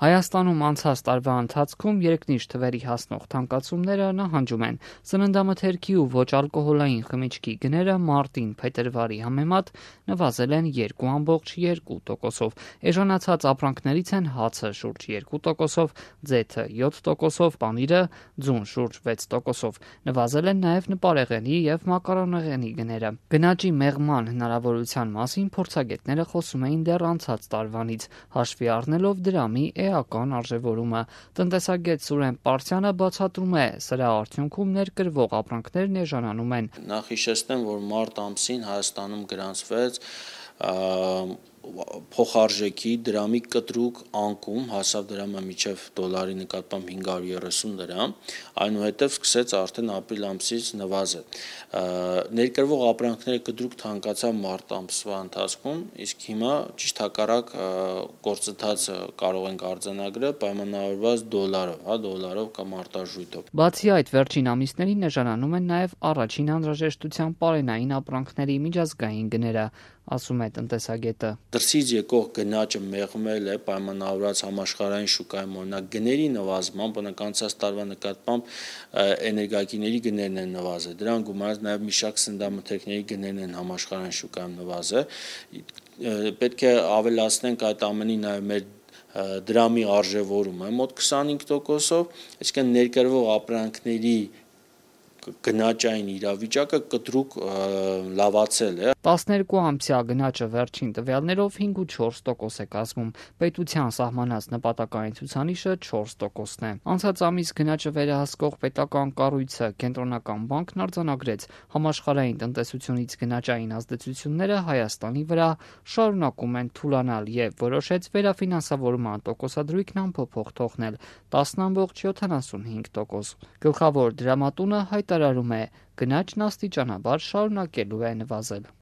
Հայաստանում անցած տարվա ընթացքում երկնիշ թվերի հասնող թանկացումները նահանջում են։ Սննդամթերքի ու ոչ ալկոհոլային խմիչքի գները մարտին-փետրվարի համեմատ նվազել են 2,2%-ով։ Էժանացած ապրանքներից են հացը շուրջ 2%-ով, ձեթը 7%-ով, պանիրը ձուն շուրջ 6%-ով։ Նվազել են նաև նպարեղենի և մակարոնեղենի գները։ Գնաճի մեղման հնարավորության մասին փորձագետները խոսում էին դեռ անցած տարվանից, հաշվի առնելով դրամի էական արժևորումը։ Տնտեսագետ Սուրեն Պարսյանը բացատրում է, սրա արդյունքում ներկրվող ապրանքներն էժանանում են։ Նախ հիշեցնեմ, որ մարտ ամսին Հայաստանում գրանցվեց փոխարժեքի դրամի կտրուկ անկում, հասավ դրամը մինչև դոլարի նկատմամբ 530 դրամ, այնուհետև սկսեց արդեն ապրիլ ամսից նվազել։ Ներկրվող ապրանքները կտրուկ թանկացան մարտ ամսվա ընթացքում, իսկ հիմա ճիշտ հակառակ գործընթացը կարող ենք արձանագրել պայմանավորված դոլարով կամ արտարժույթով։ Բացի այդ, վերջին ամիսներին էժանանում են նաև առաջին անհրաժեշտության պարենային ապրանքների միջազգային գները, ասում է տնտեսագետը։ Դրսից եկող գնաճը մեղմել է պայմանավորված համաշխարհային շուկայում, օրինակ գների նվազմամբ, օրինակ անցած տարվա նկատմամբ էներգակիրների գներն են նվազել, դրան գումարած նաև մի շարք սննդամթերքների գներն են համաշխարհային շուկայում նվազել։ Պետք է ավելացնենք այդ ամենի նաև մեր դրամի արժևորումը մոտ 25%-ով, այսինքն ներկրվող ապրանքների գնաճային իրավիճակը կտրուկ լավացել է։ 12-ամսյա գնաճը վերջին տվյալներով 5,4% է կազմում, պետության սահմանած նպատակային ցուցանիշը 4%-ն է։ Անցած ամիս գնաճը վերահսկող պետական կառույցը Կենտրոնական բանկն արձանագրեց, համաշխարհային տնտեսությունից գնաճային ազդեցությունները Հայաստանի վրա շարունակում են թուլանալ եւ որոշեց վերաֆինանսավորման տոկոսադրույքն անփոփոխ թողնել 10,75%։ Գլխավոր դրամատունը հայտարարում է, գնաճն աստիճանաբար շարունակելու է նվազել։